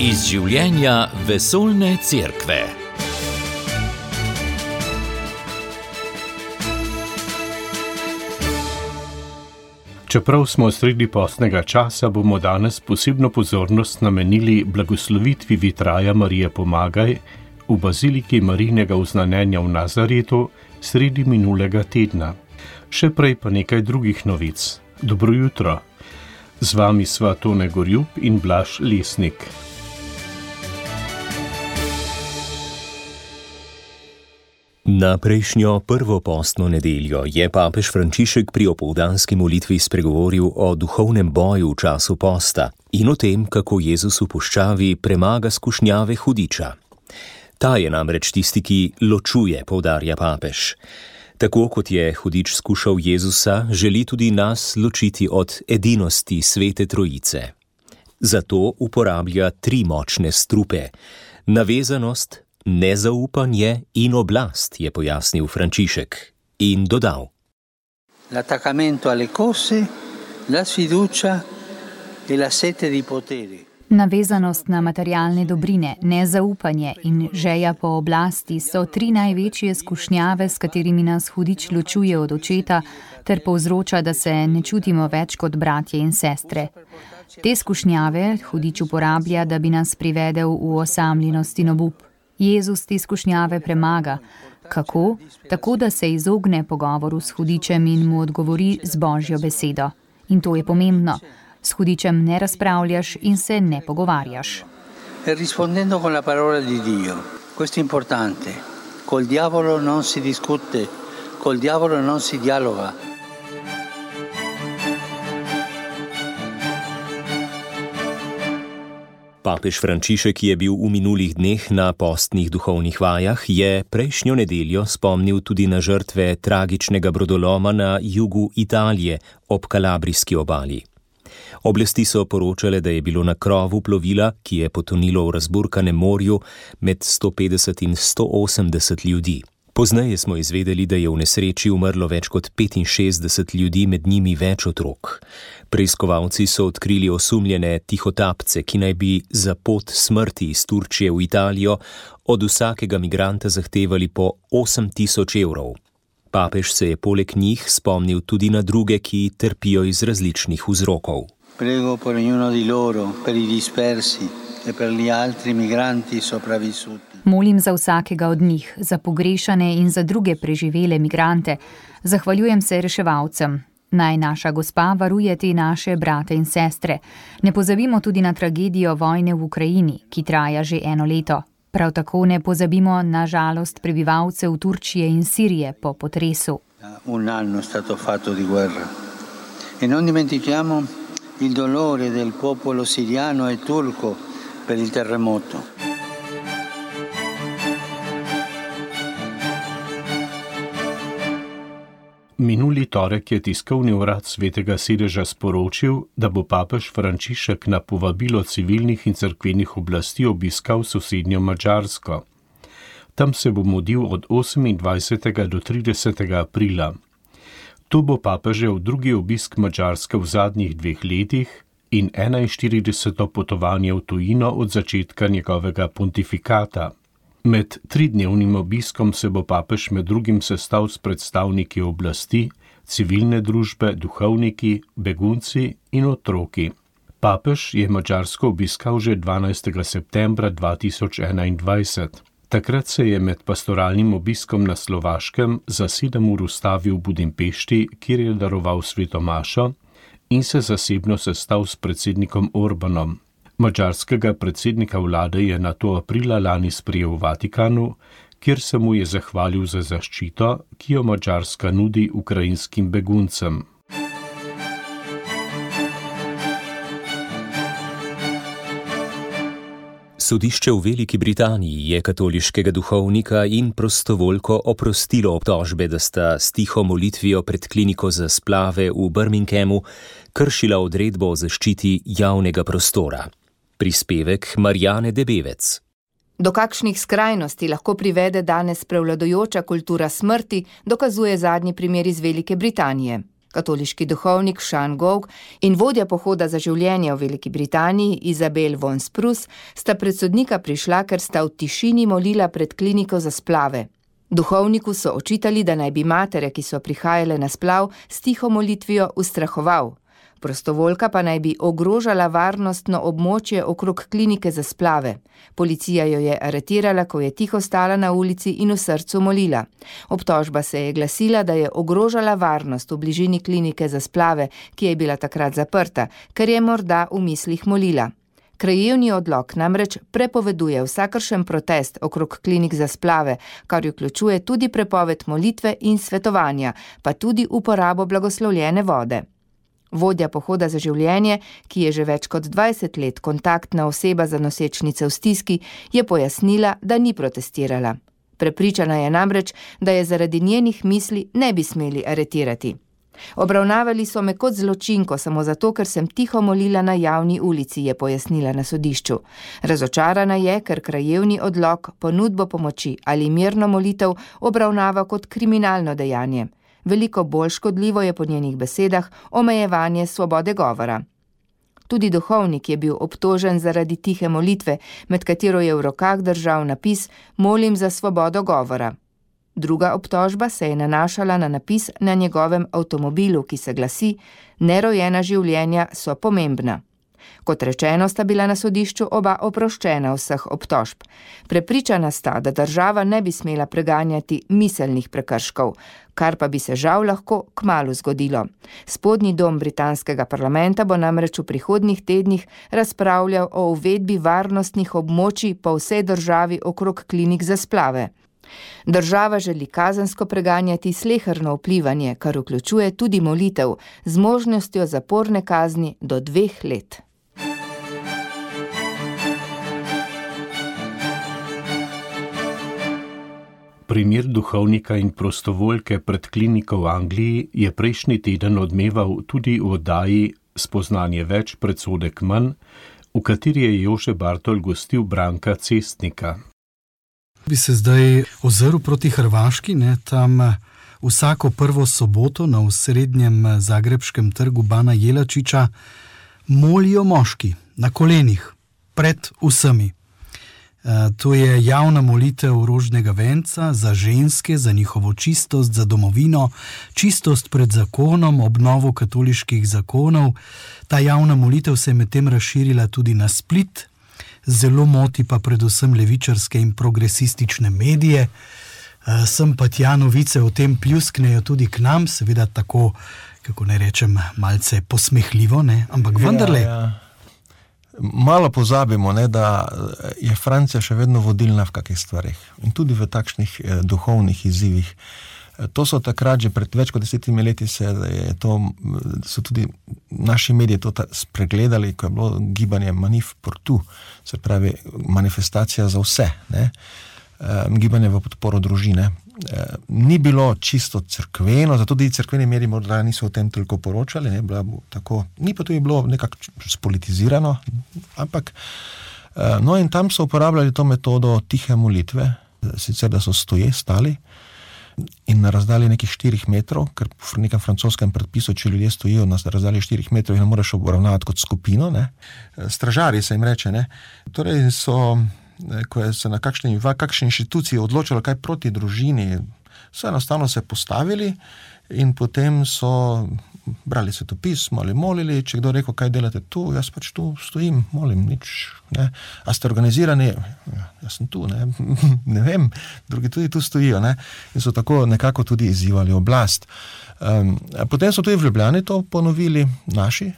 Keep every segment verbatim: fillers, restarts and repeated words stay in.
Iz življenja vesoljne cerkve. Čeprav smo sredi postnega časa, bomo danes posebno pozornost namenili blagoslovitvi vitraja Marije Pomagaj v baziliki Marijinega Oznanjenja v Nazaretu sredi minulega tedna. Še prej pa nekaj drugih novic. Dobro jutro. Z vami sva Tone Gorjup in Blaž Lesnik. Na prejšnjo prvo postno nedeljo je papež Frančišek pri opoldanski molitvi spregovoril o duhovnem boju v času posta in o tem, kako Jezus v puščavi premaga skušnjave hudiča. Ta je namreč tisti, ki ločuje, poudarja papež. Tako kot je hudič skušal Jezusa, želi tudi nas ločiti od edinosti Svete Trojice. Zato uporablja tri močne strupe: navezanost, nezaupanje in oblast, je pojasnil Frančišek in dodal: L'attaccamento alle cose, la sfiducia e la sete di potere. Navezanost na materialne dobrine, nezaupanje in želja po oblasti so tri največje skušnjave, s katerimi nas hudič ločuje od očeta ter povzroča, da se ne čutimo več kot bratje in sestre. Te skušnjave hudič uporablja, da bi nas privedel v osamljenost in obup. Jezus te skušnjave premaga. Kako? Tako, da se izogne pogovoru s hudičem in mu odgovori z Božjo besedo. In to je pomembno. S hudičem ne razpravljaš in se ne pogovarjaš. E rispondendo con la parola di Dio. Questo è importante. Col diavolo non si discute, col diavolo non si dialoga. Papež Frančišek je bil v minulih dneh na postnih duhovnih vajah, je prejšnjo nedeljo spomnil tudi na žrtve tragičnega brodoloma na jugu Italije ob Kalabrijski obali. Oblasti so poročale, da je bilo na krovu plovila, ki je potonilo v razburkanem morju, med sto petdeset in sto osemdeset ljudi. Pozneje smo izvedeli, da je v nesreči umrlo več kot petinšestdeset ljudi, med njimi več otrok. Preiskovalci so odkrili osumljene tihotapce, ki naj bi za pot smrti iz Turčije v Italijo od vsakega migranta zahtevali po osem tisoč evrov. Papež se je poleg njih spomnil tudi na druge, ki trpijo iz različnih vzrokov. Prego per ognuno di loro, per i dispersi e per gli altri migranti sopravvissuti. Molim za vsakega od njih, za pogrešane in za druge preživele migrante. Zahvaljujem se reševalcem. Naj naša gospa varuje te naše brate in sestre. Ne pozabimo tudi na tragedijo vojne v Ukrajini, ki traja že eno leto. Prav tako ne pozabimo na žalost prebivalcev Turčije in Sirije po potresu. Un anno è stato fatto di guerra. E non dimentichiamo il dolore del popolo siriano e turco per il terremoto. Minuli torek je tiskovni urad Svetega sedeža sporočil, da bo papež Frančišek na povabilo civilnih in cerkvenih oblasti obiskal sosednjo Madžarsko. Tam se bo mudil od osemindvajsetega do tridesetega aprila. To bo papežev drugi obisk Madžarske v zadnjih dveh letih in enainštirideseto potovanje v tujino od začetka njegovega pontifikata. Med tridnevnim obiskom se bo papež med drugim sestal s predstavniki oblasti, civilne družbe, duhovniki, begunci in otroki. Papež je Madžarsko obiskal že dvanajstega septembra dva tisoč enaindvajset. Takrat se je med pastoralnim obiskom na Slovaškem za sedem ur ustavil v Budimpešti, kjer je daroval sveto mašo in se zasebno sestal s predsednikom Orbanom. Madžarskega predsednika vlade je nato aprila lani sprejel v Vatikanu, kjer se mu je zahvalil za zaščito, ki jo Madžarska nudi ukrajinskim beguncem. Sodišče v Veliki Britaniji je katoliškega duhovnika in prostovoljko oprostilo obtožbe, da sta s tiho molitvijo pred kliniko za splave v Birminghamu kršila odredbo o zaščiti javnega prostora. Prispevek Marjane Debevec. Do kakšnih skrajnosti lahko privede danes prevladujoča kultura smrti, dokazuje zadnji primer iz Velike Britanije. Katoliški duhovnik Sean Gough in vodja pohoda za življenje v Veliki Britaniji Isabel von Spruce sta pred sodnika prišla, ker sta v tišini molila pred kliniko za splave. Duhovniku so očitali, da naj bi matere, ki so prihajale na splav, s tiho molitvijo ustrahoval. Prostovoljka pa naj bi ogrožala varnostno območje okrog klinike za splave. Policija jo je aretirala, ko je tiho stala na ulici in v srcu molila. Obtožba se je glasila, da je ogrožala varnost v bližini klinike za splave, ki je bila takrat zaprta, ker je morda v mislih molila. Krajevni odlok namreč prepoveduje vsakršen protest okrog klinik za splave, kar vključuje tudi prepoved molitve in svetovanja, pa tudi uporabo blagoslovljene vode. Vodja pohoda za življenje, ki je že več kot dvajset let kontaktna oseba za nosečnice v stiski, je pojasnila, da ni protestirala. Prepričana je namreč, da je zaradi njenih misli ne bi smeli aretirati. Obravnavali so me kot zločinko samo zato, ker sem tiho molila na javni ulici, je pojasnila na sodišču. Razočarana je, ker krajevni odlok ponudbo pomoči ali mirno molitev obravnava kot kriminalno dejanje. Veliko bolj škodljivo je po njenih besedah omejevanje svobode govora. Tudi duhovnik je bil obtožen zaradi tihe molitve, med katero je v rokah držal napis "Molim za svobodo govora". Druga obtožba se je nanašala na napis na njegovem avtomobilu, ki se glasi "Nerojena življenja so pomembna". Kot rečeno, sta bila na sodišču oba oproščena vseh obtožb. Prepričana sta, da država ne bi smela preganjati miselnih prekrškov, kar pa bi se žal lahko kmalu zgodilo. Spodnji dom britanskega parlamenta bo namreč v prihodnjih tednih razpravljal o uvedbi varnostnih območij po vsej državi okrog klinik za splave. Država želi kazensko preganjati sleherno vplivanje, kar vključuje tudi molitev, z možnostjo zaporne kazni do dveh let. Primer duhovnika in prostovoljke pred kliniko v Angliji je prejšnji teden odmeval tudi v oddaji Spoznanje več, predsodek manj, v kateri je Jože Bartol gostil Branka Cestnika. Bi se zdaj ozrl proti Hrvaški, ne, tam vsako prvo soboto na osrednjem zagrebškem trgu Bana Jelačiča molijo moški na kolenih pred vsemi. To je javna molitev rožnega venca za ženske, za njihovo čistost, za domovino, čistost pred zakonom, obnovo katoliških zakonov. Ta javna molitev se je medtem razširila tudi na Split, zelo moti pa predvsem levičarske in progresistične medije. Sem pa tja novice o tem pljusknejo tudi k nam, seveda tako, kako ne rečem, malce posmehljivo, ne, ampak vendarle. Ja, ja. Malo pozabimo, ne, da je Francija še vedno vodilna v kakih stvarih in tudi v takšnih eh, duhovnih izzivih. To so takrat, že pred več kot desetimi leti se je to, so tudi naši mediji to spregledali, ko je bilo gibanje Manif pour tout, se pravi manifestacija za vse, ne, e, gibanje v podporo družine. E, ni bilo čisto cerkveno, zato tudi cerkveni mediji morda niso o tem toliko poročali, ne, bila tako, ni pa tudi bilo nekako spolitizirano, ampak e, no in tam so uporabljali to metodo tihe molitve, sicer da so stoje, stali, in na razdalji nekih štirih metrov, ker v nekem francoskem predpisu, če ljudje stojijo na razdalji štirih metrov, jih ne moreš obravnavati kot skupino, ne. Stražarji se jim reče, ne. Torej so, ko je se na kakšni, v kakšni inštituciji odločilo kaj proti družini, so enostavno se postavili in potem so brali svetopismo ali molili, če kdo rekel, kaj delate tu, jaz pač tu stojim, molim, nič, ne. A ste organizirani? Ja, jaz sem tu, ne, ne vem, drugi tudi tu stojijo, ne, in so tako nekako tudi izzivali oblast. Um, potem so tudi v Ljubljani to ponovili naši,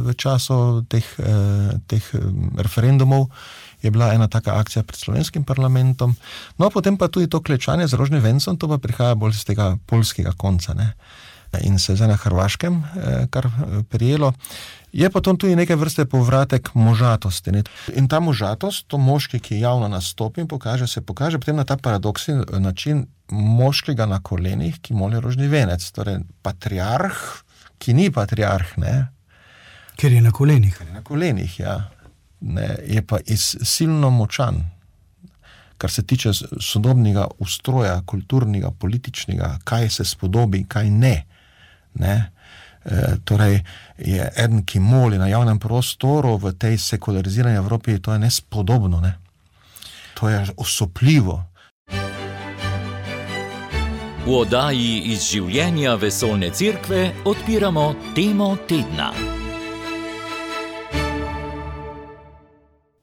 v času teh, teh referendumov je bila ena taka akcija pred slovenskim parlamentom, no potem pa tudi to klečanje z rožnim vencem, to pa prihaja bolj z tega poljskega konca, ne. In se zdaj na Hrvaškem kar prijelo. Je pa to tudi nekaj vrste povratek možatosti. Ne? In ta možatost, to moški, ki javno nastopi in pokaže, se pokaže potem na ta paradoksni način moškega na kolenih, ki moli rožni venec. Torej patriarh, ki ni patriarh, ne? Ker je na kolenih. Ker je na kolenih, ja. Ne, je pa iz, silno močan, kar se tiče sodobnega ustroja, kulturnega, političnega, kaj se spodobi, kaj ne. Ne? Torej, je eden, ki moli na javnem prostoru v tej sekularizirani Evropi, to je nespodobno, ne? To je osupljivo. V oddaji iz življenja vesoljne cerkve odpiramo temo tedna.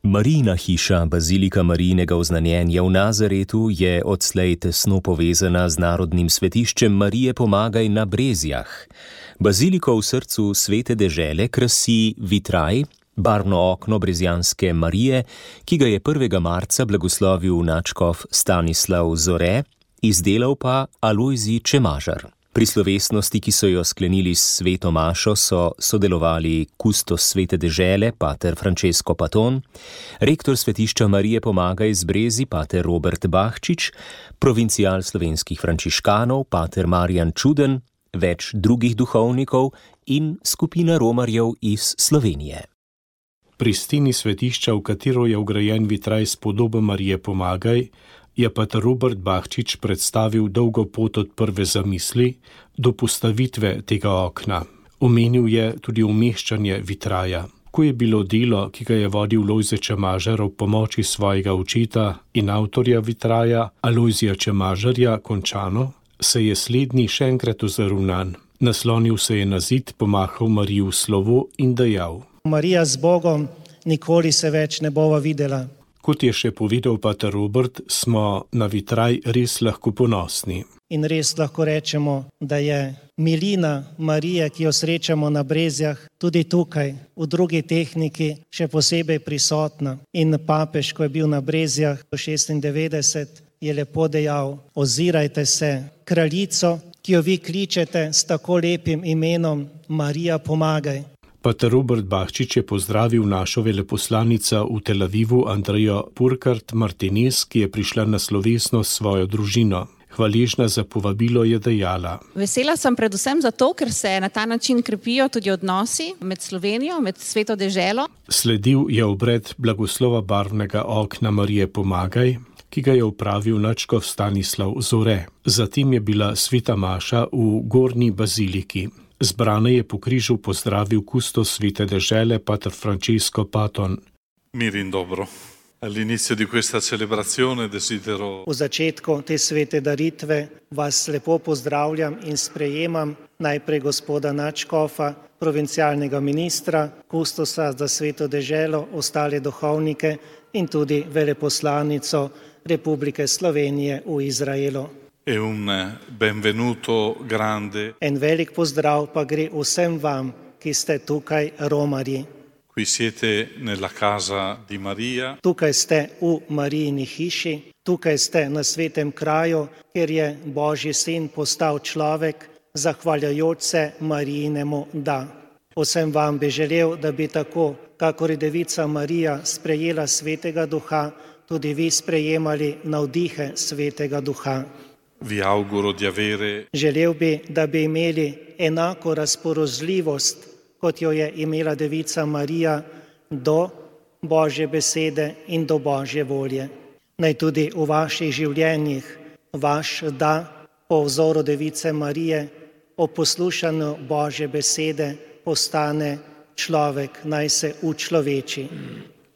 Marijina hiša, bazilika Marijinega oznanjenja v Nazaretu, je odslej tesno povezana z narodnim svetiščem Marije Pomagaj na Brezjah. Baziliko v srcu svete dežele krasi vitraj, barvno okno brezjanske Marije, ki ga je prvega marca blagoslovil nadškof Stanislav Zore, izdelal pa Alojzij Čemažar. Pri slovesnosti, ki so jo sklenili s sveto mašo, so sodelovali kustos svete dežele, pater Francesco Paton, rektor svetišča Marije Pomagaj z Brezij, pater Robert Bahčič, provincial slovenskih frančiškanov, pater Marjan Čuden, več drugih duhovnikov in skupina romarjev iz Slovenije. Pri steni svetišča, v katero je vgrajen vitraj s podobo Marije Pomagaj, je pater Robert Bahčič predstavil dolgo pot od prve zamisli do postavitve tega okna. Omenil je tudi umeščanje vitraja. Ko je bilo delo, ki ga je vodil Lojze Čemažar ob pomoči svojega očeta in avtorja vitraja Alojzija Čemažarja končano, se je slednji še enkrat ozrl nanj. Naslonil se je na zid, pomahal Mariji v slovo in dejal: Marija z Bogom, nikoli se več ne bova videla. Kot je še povedal pater Robert, smo na vitraj res lahko ponosni. In res lahko rečemo, da je milina Marije, ki jo srečamo na Brezjah, tudi tukaj, v drugi tehniki, še posebej prisotna. In papež, ko je bil na Brezjah v šestindevetdeset, je lepo dejal: ozirajte se, kraljico, ki jo vi kličete s tako lepim imenom Marija Pomagaj. Pater Robert Bahčič je pozdravil našo veleposlanica v Tel Avivu Andrejo Purkart Martinez, ki je prišla na slovesnost s svojo družino. Hvaležna za povabilo je dejala: Vesela sem predvsem zato, ker se na ta način krepijo tudi odnosi med Slovenijo, med sveto deželo. Sledil je obred blagoslova barvnega okna Marije Pomagaj, ki ga je opravil nadškof Stanislav Zore. Zatem je bila sveta maša v Gornji baziliki. Zbrane je po križu pozdravil kustos svete dežele, pater Francesco Paton. Mir in dobro. All'inizio di questa celebrazione desidero... V začetku te svete daritve vas lepo pozdravljam in sprejemam najprej gospoda nadškofa, provincialnega ministra, kustosa za sveto deželo, ostale duhovnike in tudi veleposlanico Republike Slovenije v Izraelu. E un benvenuto grande. En velik pozdrav pa gre vsem vam, ki ste tukaj romarji. Qui siete nella casa di Maria. Tukaj ste v Marijini hiši, tukaj ste na svetem kraju, kjer je Božji sin postal človek, zahvaljujoč se Marijinemu da. Vsem vam bi želel, da bi tako, kakor je devica Marija sprejela svetega duha, tudi vi sprejemali navdihe svetega duha. Vi auguro di avere... Želel bi, da bi imeli enako razpoložljivost, kot jo je imela devica Marija, do Božje besede in do Božje volje. Naj tudi v vaših življenjih vaš da po vzoru device Marije, o poslušanju Božje besede postane človek, naj se učloveči.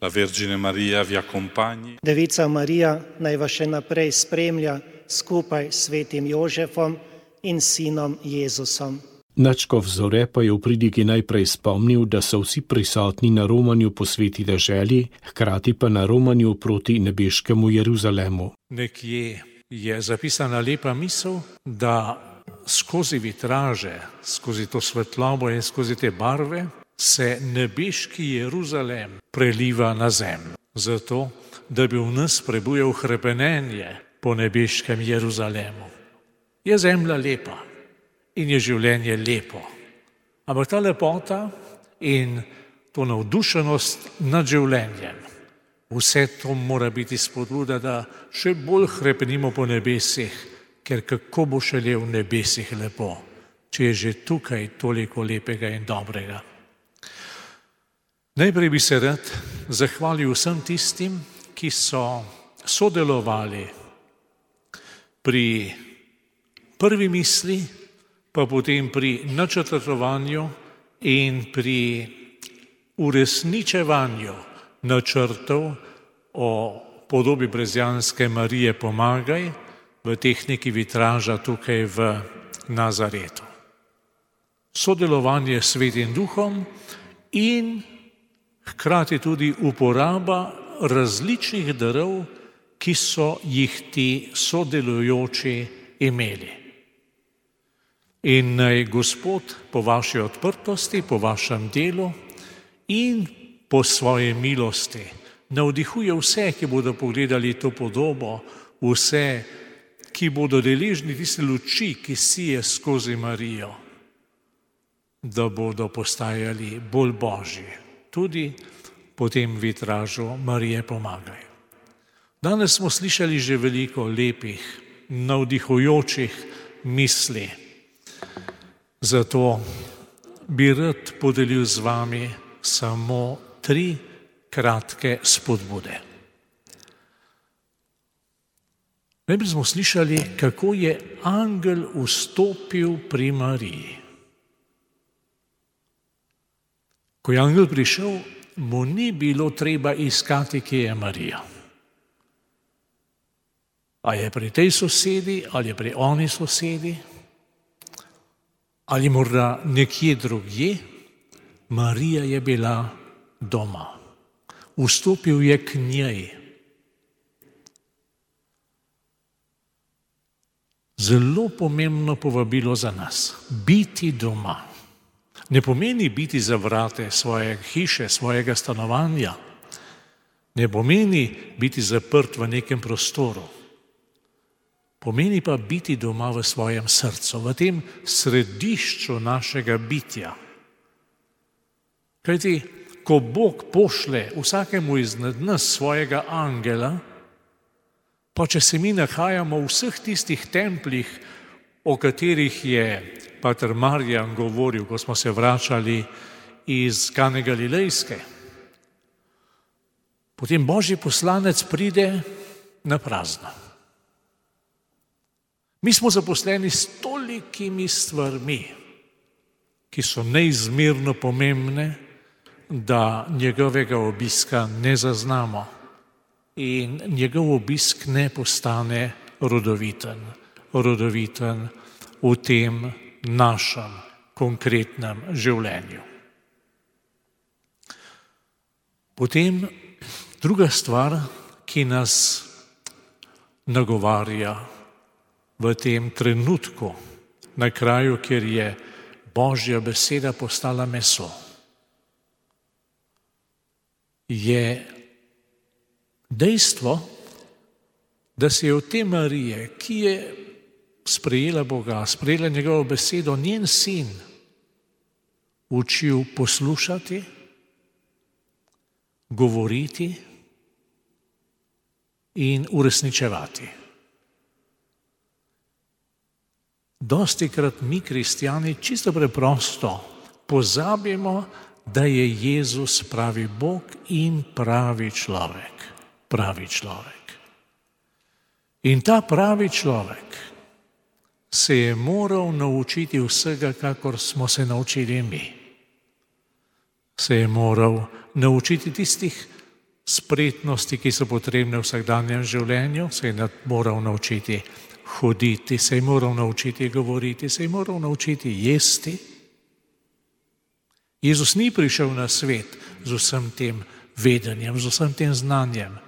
La Vergine Maria vi accompagni. Devica Marija naj vas še naprej spremlja skupaj s svetim Jožefom in sinom Jezusom. Nadškof Zore pa je v pridigi najprej spomnil, da so vsi prisotni na romanju po sveti deželi, hkrati pa na romanju proti nebeškemu Jeruzalemu. Nekje je zapisana lepa misel, da skozi vitraže, skozi to svetlobo in skozi te barve se nebeški Jeruzalem preliva na zemljo. Zato, da bi v nas prebujal hrepenenje po nebeškem Jeruzalemu. Je zemlja lepa in je življenje lepo. Ampak ta lepota in to navdušenost nad življenjem, vse to mora biti spodbuda, da še bolj hrepenimo po nebesih, ker kako bo šele v nebesih lepo, če je že tukaj toliko lepega in dobrega. Najprej bi se rad zahvalil vsem tistim, ki so sodelovali pri prvi misli, pa potem pri načrtovanju in pri uresničevanju načrtov o podobi brezjanske Marije Pomagaj v tehniki vitraža tukaj v Nazaretu. Sodelovanje s Svetim Duhom in hkrati tudi uporaba različnih darov, ki so jih ti sodelujoči imeli. In naj Gospod po vaši odprtosti, po vašem delu in po svoji milosti navdihuje vse, ki bodo pogledali to podobo, vse, ki bodo deležni tiste luči, ki sije skozi Marijo, da bodo postajali bolj božji, tudi po tem vitražu Marije Pomagaj. Danes smo slišali že veliko lepih, navdihujočih misli. Zato bi rad podelil z vami samo tri kratke spodbude. Najprej smo slišali, kako je angel vstopil pri Mariji. Ko je angel prišel, mu ni bilo treba iskati, kje je Marija. A je pri tej sosedi, ali je pri oni sosedi, ali morda nekje drugje, Marija je bila doma. Vstopil je k njej. Zelo pomembno povabilo za nas. Biti doma. Ne pomeni biti za vrate svoje hiše, svojega stanovanja. Ne pomeni biti zaprt v nekem prostoru. Pomeni pa biti doma v svojem srcu, v tem središču našega bitja. Kajti, ko Bog pošle vsakemu izmed nas svojega angela, pa če se mi nahajamo v vseh tistih templjih, o katerih je pater Marjan govoril, ko smo se vračali iz Kane Galilejske, potem Božji poslanec pride na prazno. Mi smo zaposleni s tolikimi stvarmi, ki so neizmerno pomembne, da njegovega obiska ne zaznamo in njegov obisk ne postane rodoviten, rodoviten v tem našem konkretnem življenju. Potem druga stvar, ki nas nagovarja v tem trenutku, na kraju, kjer je Božja beseda postala meso, je dejstvo, da se je od te Marije, ki je sprejela Boga, sprejela njegovo besedo, njen sin učil poslušati, govoriti in uresničevati. Dostikrat mi, kristjani, čisto preprosto pozabimo, da je Jezus pravi Bog in pravi človek. Pravi človek. In ta pravi človek se je moral naučiti vsega, kakor smo se naučili mi. Se je moral naučiti tistih spretnosti, ki so potrebne v vsakdanjem življenju, se je moral naučiti hoditi, se je moral naučiti govoriti, se je moral naučiti jesti. Jezus ni prišel na svet z vsem tem vedenjem, z vsem tem znanjem.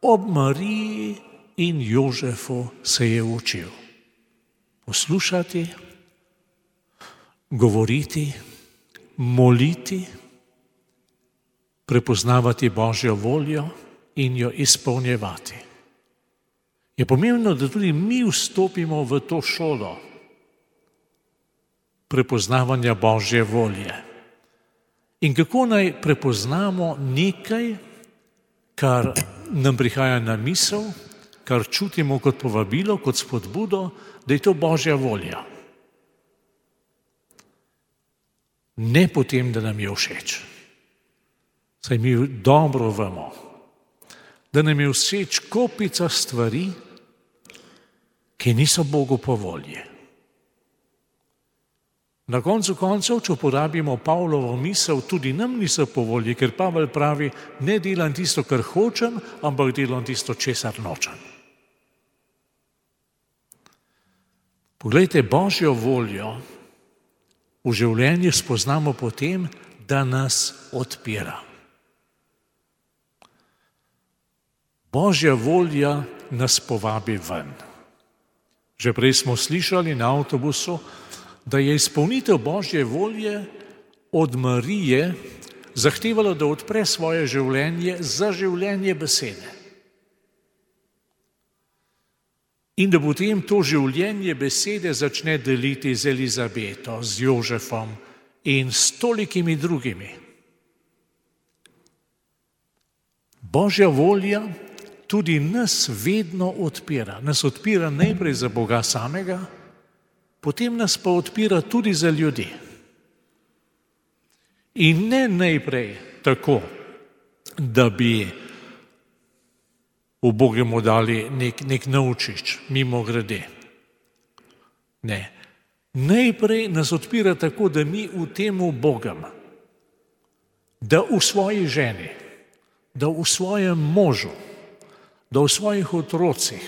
Ob Mariji in Jožefu se je učil poslušati, govoriti, moliti, prepoznavati Božjo voljo in jo izpolnjevati. Je pomembno, da tudi mi vstopimo v to šolo prepoznavanja Božje volje. In kako naj prepoznamo nekaj, kar nam prihaja na misel, kar čutimo kot povabilo, kot spodbudo, da je to Božja volja. Ne potem, da nam je všeč. Saj mi dobro vemo, da nam je všeč kopica stvari, ki niso Bogu po volji. Na koncu koncev, če uporabimo Pavlovo misel, tudi nam niso po volji, ker Pavel pravi, ne delam tisto, kar hočem, ampak delam tisto, česar nočem. Poglejte, Božjo voljo v življenju spoznamo potem, da nas odpira. Božja volja nas povabi ven. Že prej smo slišali na avtobusu, da je izpolnitev Božje volje od Marije zahtevalo, da odpre svoje življenje za življenje besede. In da potem to življenje besede začne deliti z Elizabeto, z Jožefom in s tolikimi drugimi. Božja volja tudi nas vedno odpira. Nas odpira najprej za Boga samega, potem nas pa odpira tudi za ljudi. In ne najprej tako, da bi v Bogemu dali nek, nek naučič, mimo grede. Ne. Najprej nas odpira tako, da mi v temu Bogem, da v svoji ženi, da v svojem možu, da v svojih otrocih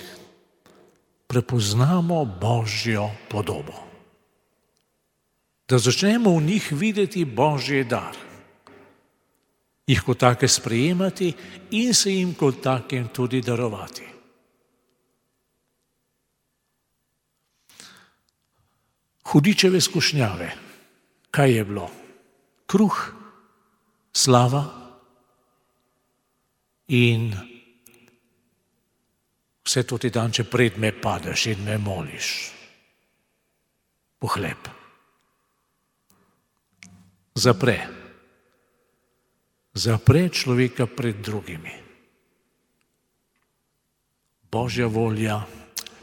prepoznamo Božjo podobo. Da začnemo v njih videti Božji dar, jih kot take sprejemati in se jim kot takem tudi darovati. Hudičeve skušnjave, kaj je bilo? Kruh, slava in vse to ti dan, če pred me padeš in me moliš. Pohleb. Zapre. Zapre človeka pred drugimi. Božja volja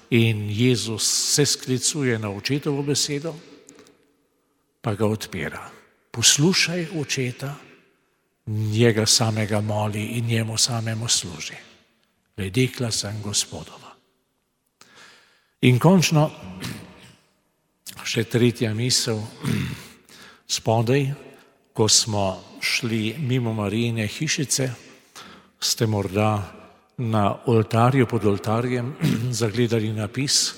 in Jezus se sklicuje na očetovo besedo, pa ga odpira. Poslušaj očeta, njega samega moli in njemu samemu služi. Dekla sem Gospodova. In končno, še tretja misel, spodaj, ko smo šli mimo Marijine hišice, ste morda na oltarju, pod oltarjem, zagledali napis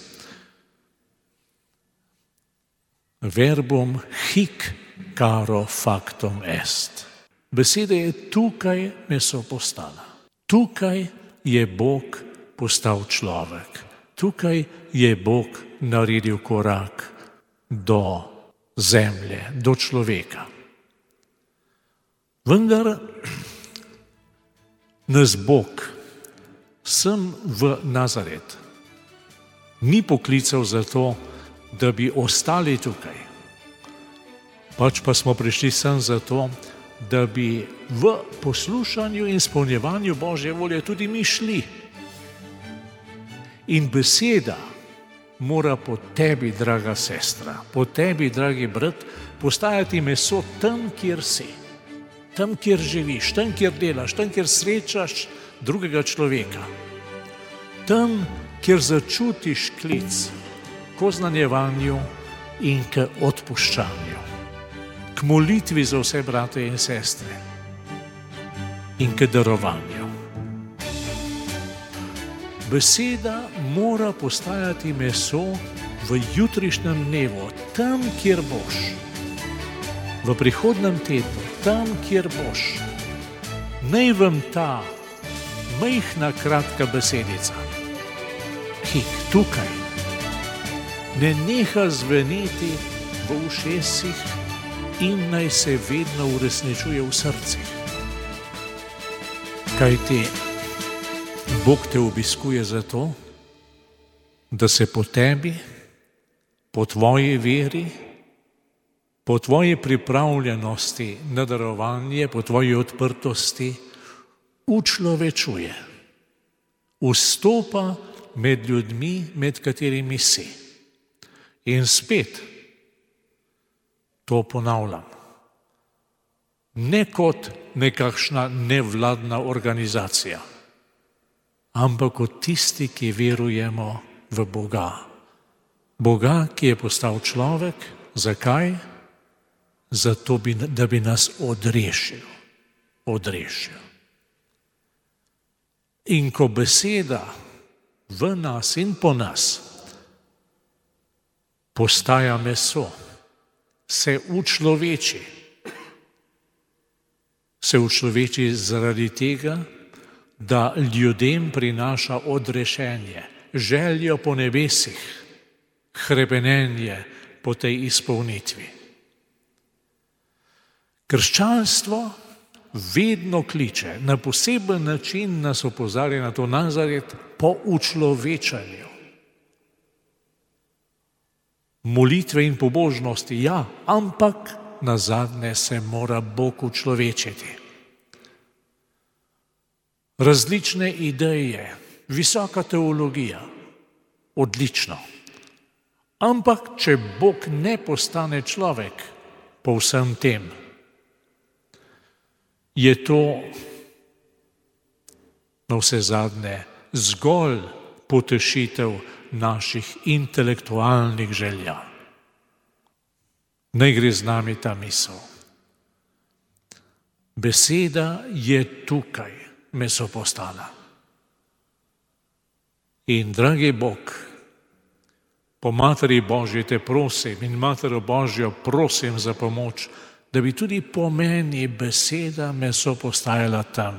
Verbum hic caro factum est. Beseda je tukaj meso postala. Tukaj je Bog postal človek. Tukaj je Bog naredil korak do zemlje, do človeka. Vendar nas Bog sem v Nazaret ni poklical za to, da bi ostali tukaj. Pač pa smo prišli sem za to, da bi v poslušanju in izpolnjevanju Božje volje tudi mi šli. In beseda mora po tebi, draga sestra, po tebi, dragi brat, postajati meso tam, kjer si, tam, kjer živiš, tam, kjer delaš, tam, kjer srečaš drugega človeka, tam, kjer začutiš klic k oznanjevanju in k odpuščanju, k molitvi za vse brate in sestre in k darovanju. Beseda mora postajati meso v jutrišnjem dnevu, tam, kjer boš, v prihodnem tednu, tam, kjer boš. Naj vam ta majhna, kratka besedica, hik, tukaj, ne neha zveneti v ušesih in naj se vedno uresničuje v srcih. Kajti Bog te obiskuje zato, da se po tebi, po tvoji veri, po tvoji pripravljenosti na darovanje, po tvoji odprtosti učlovečuje, vstopa med ljudmi, med katerimi si. In spet to ponavljam, ne kot nekakšna nevladna organizacija, ampak kot tisti, ki verujemo v Boga. Boga, ki je postal človek. Zakaj? zato bi, da bi nas odrešil. Odrešil. In ko beseda v nas in po nas postaja meso, se učloveči. Se učloveči zaradi tega, da ljudem prinaša odrešenje, željo po nebesih, hrepenenje po tej izpolnitvi. Krščanstvo vedno kliče, na poseben način nas opozarja na to Nazaret po učlovečanju. Molitve in pobožnosti, ja, ampak nazadnje se mora Bog učlovečiti. Različne ideje, visoka teologija, odlično. Ampak če Bog ne postane človek po vsem tem, je to na vse zadnje zgolj potešitev naših intelektualnih želja. Ne gre z nami ta misel. Beseda je tukaj, meso postala. In, dragi Bog, po Materi Božji te prosim in Matero Božjo prosim za pomoč, da bi tudi po meni beseda meso postajala tam,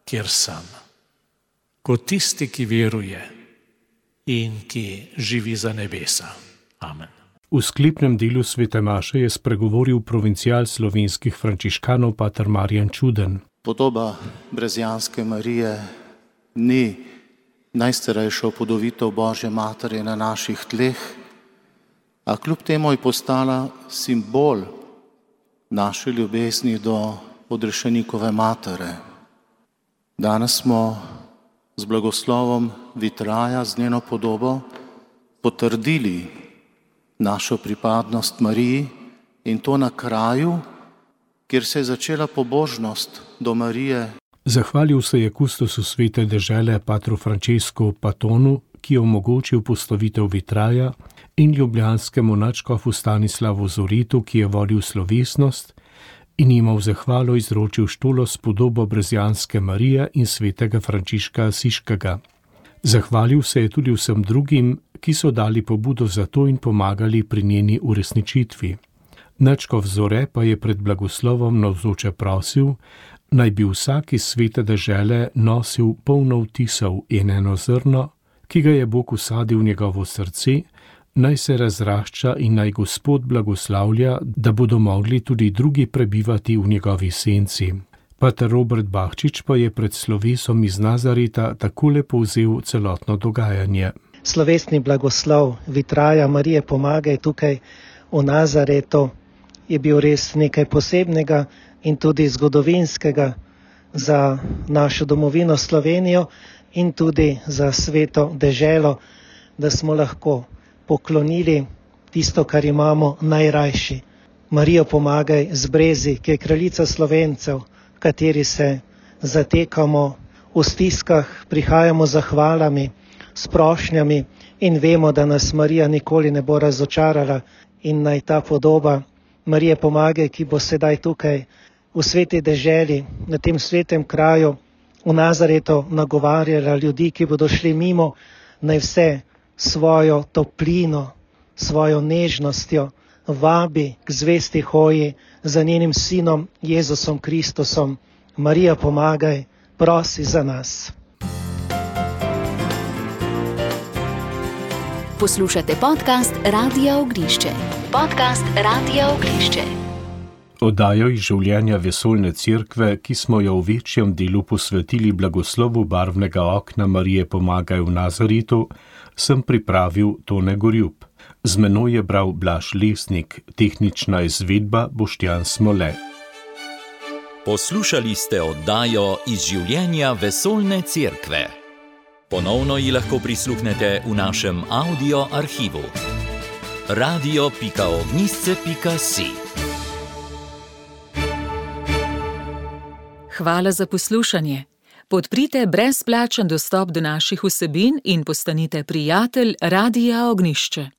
kjer sem. Kot tisti, ki veruje in ki živi za nebesa. Amen. V sklepnem delu svete maše je spregovoril provincial slovenskih frančiškanov pater Marjan Čuden. Podoba Brezijanske Marije ni najstarejša upodobitev Božje Matere na naših tleh, a kljub temu je postala simbol naše ljubezni do odrešenikove matere. Danes smo z blagoslovom vitraja, z njeno podobo, potrdili našo pripadnost Mariji in to na kraju, kjer se je začela pobožnost do Marije. Zahvalil se je kustosu svete dežele patru Francesku Patonu, ki je omogočil postavitev vitraja, in ljubljanskemu nadškofu Stanislavu Zoritu, ki je vodil slovesnost in jima v zahvalo izročil štolo s podobo Brezijanske Marije in svetega Frančiška Asiškega. Zahvalil se je tudi vsem drugim, ki so dali pobudo za to in pomagali pri njeni uresničitvi. Nadškof Zore pa je pred blagoslovom navzoče prosil, naj bi vsak iz svete dežele nosil polno vtisov in eno zrno, ki ga je Bog usadil v njegovo srce, naj se razrašča in naj Gospod blagoslavlja, da bodo mogli tudi drugi prebivati v njegovi senci. Pater Robert Bahčič pa je pred slovesom iz Nazareta takole povzel celotno dogajanje. Slovesni blagoslov vitraja Marije Pomagaj tukaj v Nazaretu je bil res nekaj posebnega in tudi zgodovinskega za našo domovino Slovenijo in tudi za sveto deželo, da smo lahko poklonili tisto, kar imamo najrajši. Marijo Pomagaj z Brezi, ki je kraljica Slovencev, v kateri se zatekamo v stiskah, prihajamo z zahvalami, s prošnjami in vemo, da nas Marija nikoli ne bo razočarala in naj ta podoba Marije Pomagaj, ki bo sedaj tukaj v sveti deželi, na tem svetem kraju, v Nazaretu nagovarjala ljudi, ki bodo šli mimo, naj vse svojo toplino, svojo nežnostjo vabi k zvesti hoji za njenim sinom Jezusom Kristusom. Marija Pomagaj, prosi za nas. Poslušate podcast Radia Ognišče. Podcast Radia Ognišče. Oddajo iz življenja vesoljne cerkve, ki smo jo v večjem delu posvetili blagoslovu barvnega okna Marije Pomagaj v Nazaretu, sem pripravil Tone Gorjup. Z menoj je bral Blaž Lesnik, tehnična izvedba Boštjan Smole. Poslušali ste oddajo iz življenja vesoljne cerkve. Ponovno ji lahko prisluhnete v našem audio arhivu. radio pika ognjišče pika si. Hvala za poslušanje. Podprite brezplačen dostop do naših vsebin in postanite prijatelj Radia Ognišče.